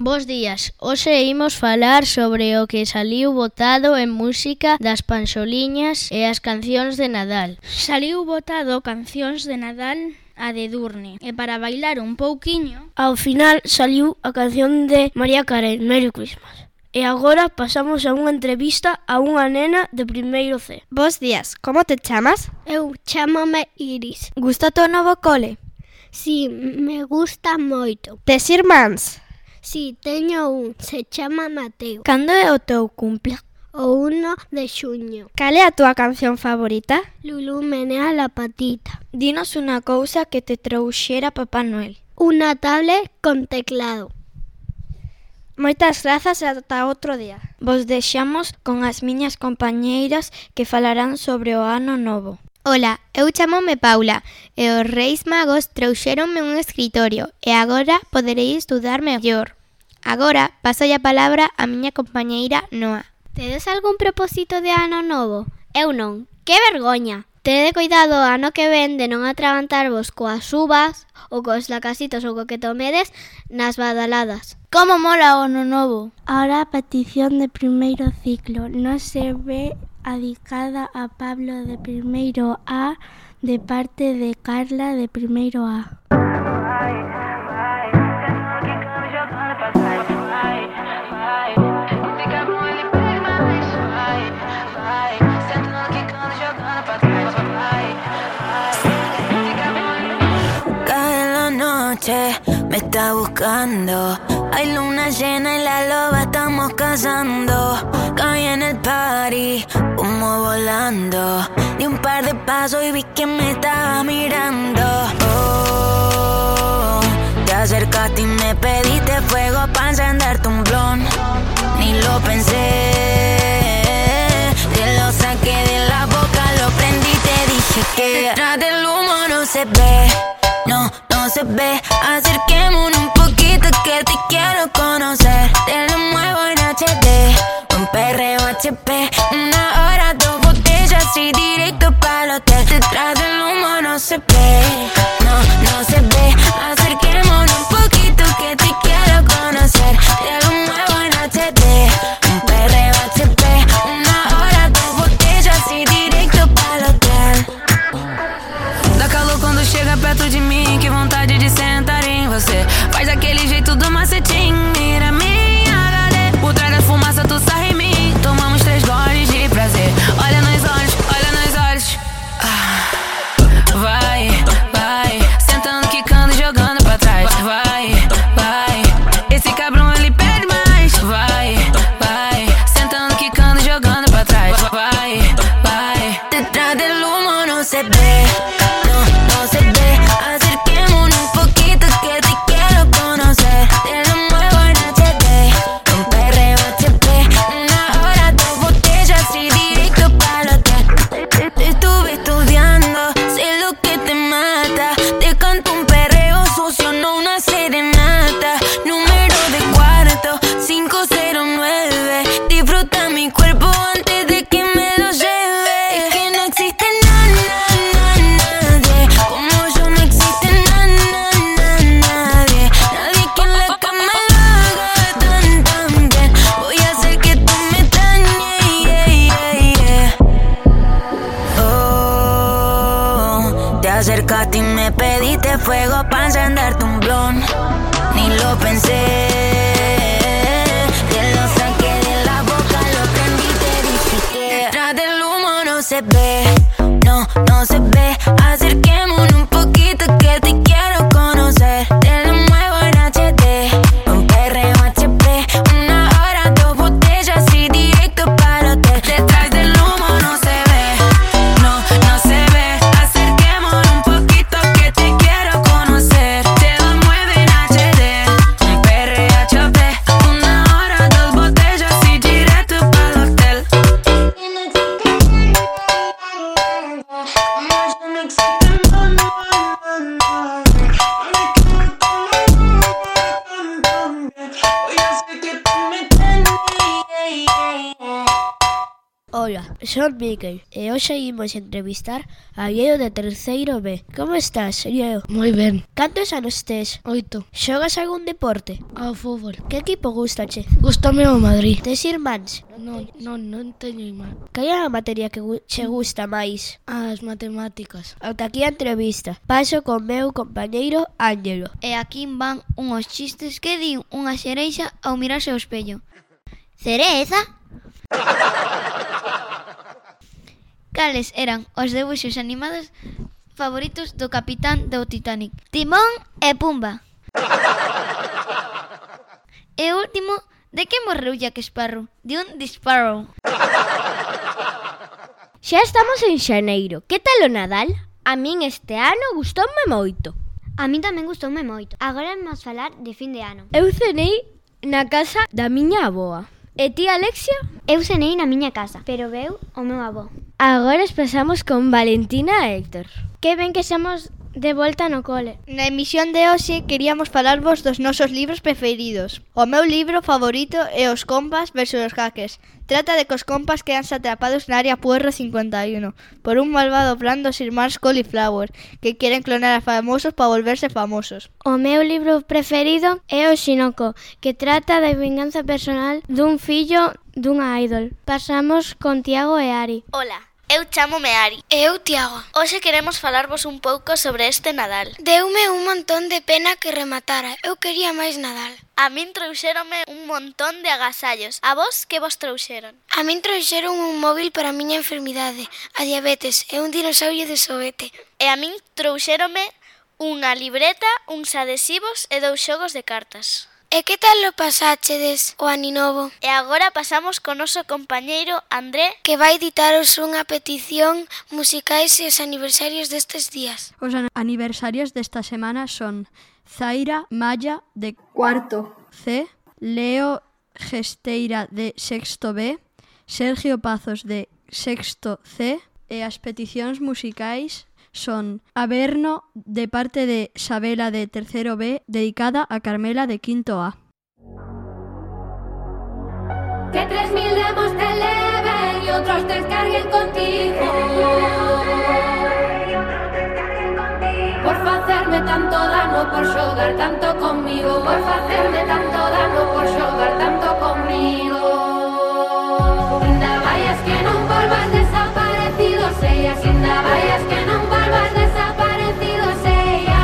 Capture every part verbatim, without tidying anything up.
Bos días, hoxe imos falar sobre o que saliu votado en música das panxoliñas e as cancións de Nadal. Saliu votado cancións de Nadal a de Edurne, e para bailar un pouquiño, ao final saliu a canción de Mariah Carey, Merry Christmas. E agora pasamos a unha entrevista a unha nena de primeiro C. Bos días, como te chamas? Eu chámame Iris. Gusta o novo cole? Si, me gusta moito. Tes irmáns? Si, teño un, se chama Mateo. Cando é o teu cumple? O uno de xuño. Cal é a túa canción favorita? Lulú menea la patita. Dinos unha cousa que te trouxera Papá Noel. Unha tablet con teclado. Moitas grazas e ata outro día. Vos deixamos con as miñas compañeiras que falarán sobre o ano novo. Ola, eu chamome Paula e os Reis Magos trouxéronme un escritorio e agora poderei estudar mellor. Agora paso a palabra á miña compañeira Noa. Tedes algún propósito de ano novo? Eu non. Que vergoña! Tede cuidado o ano que ven de non atragantarvos coas uvas ou cos lacasitos ou co que tomedes nas badaladas. Como mola o ano novo? Ahora a petición de primeiro ciclo non se ve adicada a Pablo de primeiro A de parte de Carla de primeiro A. Cae la noche, me está buscando. Hay luna llena y la loba estamos cazando. Caí en el party, humo volando. Di un par de pasos y vi que me estaba mirando. Oh, te acercaste y me pediste fuego para encenderte un blon. Ni lo pensé, te lo saqué de la boca, lo prendí y te dije que detrás del humo no se ve, no, no se ve. Acerquémonos un poquito que te quiero conocer. Te lo muevo en H D, un perreo H P. Una hora, dos botellas y directo para el hotel. Detrás del humo no se ve, no, no se ve. Acerquémonos un poquito que te quiero conocer. Te lo muevo en H D, un perreo H P. Una hora, dos botellas y directo para el hotel. Dá calor quando chega perto de mim, que vontade de sentar em você. Faz aquele jeito do macetinho, mira minha H D. Por trás da fumaça tu sarra em mim, tomamos três goles de prazer. Olha nos olhos, olha nos olhos. Ah. Vai, vai, sentando, quicando, jogando pra trás. Vai, vai, esse cabrão ele pede mais. Vai, vai, sentando, quicando, jogando pra trás. Vai, vai, detrás del humo no se ve, no, no se ve. Acerquémonos un poquito que te quiero conocer. Te lo muevo en H D, un perreo H P. Una hora, dos botellas y directo para el hotel. Te, te estuve estudiando, sé lo que te mata. Te canto un perreo sucio, no una serenata. Número de cuarto, cinco cero nueve. Disfruta mi cuerpo antes de que me lo lleve. Es que no existe nada, nada, nadie como yo, no existe nada, nada, nadie. Nadie que en la cama lo haga tan, tan bien. Voy a hacer que tú me dañes, yeah, yeah, yeah. Oh, te acercaste y me pediste fuego para encenderte un blon. Ni lo pensé, te lo saqué de la boca, lo prendí y te dije que detrás del humo no se ve, no, no se ve. Acerquémonos un poquito que te quiero conocer. Te lo muevo en H D, un perreo H P. Una hora, dos botellas y directo para el hotel. Detrás del humo no se ve, no, no se ve. Acerquémonos un poquito que te quiero conocer. Te lo muevo en H D. Ola, son Miquel e hoxe imos entrevistar a Diego de terceiro B. Como estás, Diego? Moi ben. Cantos anos tes? Oito. Xogas algún deporte? Ao fútbol. Que equipo gustache? Gústame o Madrid. Tes irmáns? Non, non, non teño irmán. Cal é a materia que gu- che gusta máis? As matemáticas. Ata aquí a entrevista. Paso con meu compañeiro Ángelo. E aquí van unhos chistes que di unha xereixa ao mirarse ao espello. Cereza? Cales eran os debuxos animados favoritos do capitán do Titanic? Timón e Pumba. E o último, de que morreu Jack Sparrow? De un disparo. Xa estamos en xaneiro. Que tal o Nadal? A min este ano gustoume moito. A min tamén gustoume moito. Agora vamos falar de fin de ano. Eu cenei na casa da miña avoa. E ti, Alexia? Eu cenei na miña casa, pero veu o meu avó. Agora pasamos con Valentina e Héctor. Que ben que xamos de volta no cole. Na emisión de hoxe queríamos falarvos dos nosos libros preferidos. O meu libro favorito é Os compas versus os hackers. Trata de que os compas quedanse atrapados na área Puerro cincuenta e uno por un malvado plan dos irmáns Cauliflower que queren clonar a famosos para volverse famosos. O meu libro preferido é O Xinoco, que trata da vinganza personal dun fillo dunha idol. Pasamos con Tiago e Ari. Ola. Eu chámome Ari. E eu, Tiago. Hoxe queremos falarvos un pouco sobre este Nadal. Deume un montón de pena que rematara. Eu quería máis Nadal. A min trouxéronme un montón de agasallos. A vos, que vos trouxeron? A min trouxeron un móvil para a miña enfermidade, a diabetes e un dinosaurio de xoguete. E a min trouxéronme unha libreta, uns adhesivos e dous xogos de cartas. E que tal lo pasáchedes o aninovo? E agora pasamos con noso compañeiro André, que vai editaros unha petición musicais e os aniversarios destes días. Os aniversarios desta semana son Zaira Malla de cuarto C, Leo Gesteira de sexto B, Sergio Pazos de sexto C e as peticións musicais son Averno de parte de Sabela de tercero B dedicada a Carmela de quinto A. Que tres mil demos te eleven y otros descarguen contigo por facerme tanto dano, por xogar tanto conmigo, por facerme tanto dano, por xogar tanto conmigo. Ainda vayas que non volvas desaparecido, sellas, ainda vayas que non volvas desaparecido, sellas.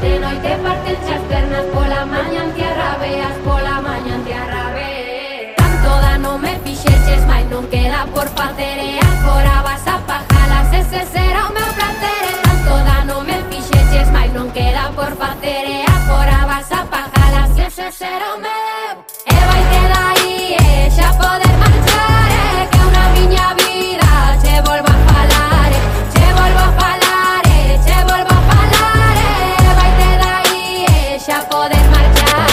De noite parten as pernas, pola maña en tierra veas, pola maña en tierra veas. Tanto dano me fixeches, mais non queda por facer, e agora vas a pajalas, ese será o meu placer. Tanto dano me fixeches, mais non queda por facer, e agora vas a pajalas, ese será o meu. E vai te dai, e xa poder marchar, e que unha miña vida che volvo a falar, che volvo a falar, che volvo a falar, e vai te dai, e xa poder marchar,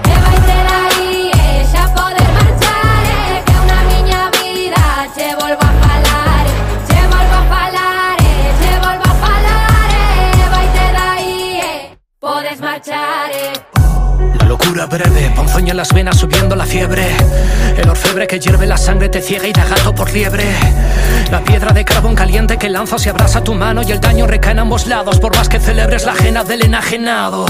e vai te dai, e xa poder marchar, e que unha miña vida che volvo a falar, che volvo a falar, che volvo a falar, e vai te dai, e podes marchar, e la locura breve, ponzoña en las venas subiendo la fiebre. El orfebre que hierve la sangre te ciega y da gato por liebre. La piedra de carbón caliente que lanzas y abrasa tu mano, y el daño recae en ambos lados, por más que celebres la ajena del enajenado.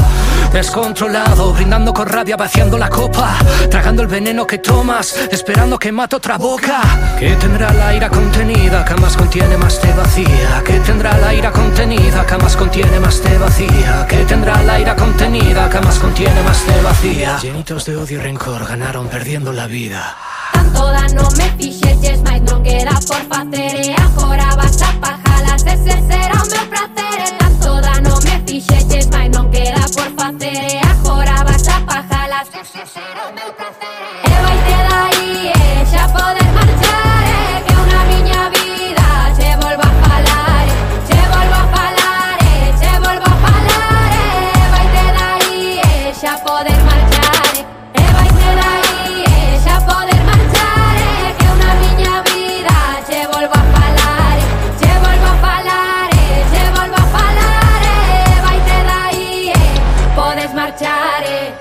Descontrolado, brindando con rabia, vaciando la copa, tragando el veneno que tomas, esperando que mate otra boca. Que tendrá la ira contenida, que más contiene más te vacía. Que tendrá la ira contenida, que más contiene más te vacía. Que tendrá la ira contenida, que más contiene más te vacía. Llenitos de odio y rencor ganaron perdiendo la vida. Tanto dano me fixeches, mais non queda por facer, e agora vas a pajalas, ese será o meu placer. E tanto dano me fixeches, mais non queda por facer, e agora vas a pajalas, ese será o meu placer. E vai te dai, e xa poder marchar, e que unha miña vida che volvo a falar, che volvo a falar, che volvo a falar, e vai te dai, e xa poder marchar, e vai te dai, e xa poder marchar, e que unha miña vida che volvo a falar, che volvo a falar, che volvo a falar, e vai te dai, e podes marchar, e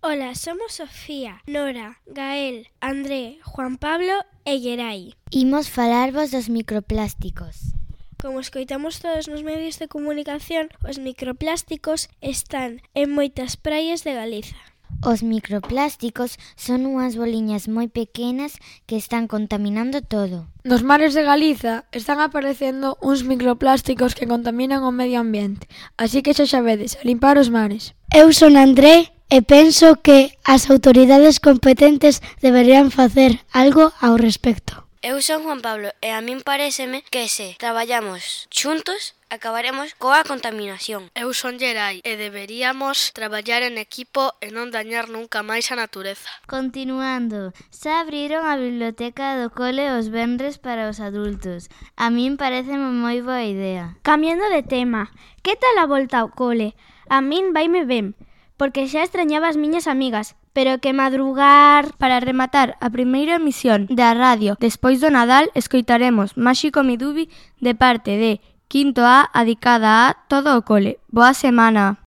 Ola, somos Sofía, Nora, Gael, André, Juan Pablo e Gerai. Imos falarvos dos microplásticos. Como escoitamos todos nos medios de comunicación, os microplásticos están en moitas praias de Galiza. Os microplásticos son unhas boliñas moi pequenas que están contaminando todo. Nos mares de Galiza están aparecendo uns microplásticos que contaminan o medio ambiente, así que xa sabedes, a limpar os mares. Eu son André e penso que as autoridades competentes deberían facer algo ao respecto. Eu son Juan Pablo e a min paréceme que se traballamos xuntos acabaremos coa contaminación. Eu son Gerai e deberíamos traballar en equipo e non dañar nunca máis a natureza. Continuando, xa abriron a biblioteca do cole os venres para os adultos. A min pareceme moi boa idea. Cambiando de tema, que tal a volta ao cole? A min vaime ben, porque xa extrañaba as miñas amigas, pero que madrugar. Para rematar a primeira emisión da radio despois do Nadal, escoitaremos Máxico Midubi de parte de Quinto A, adicada a todo o cole. Boa semana.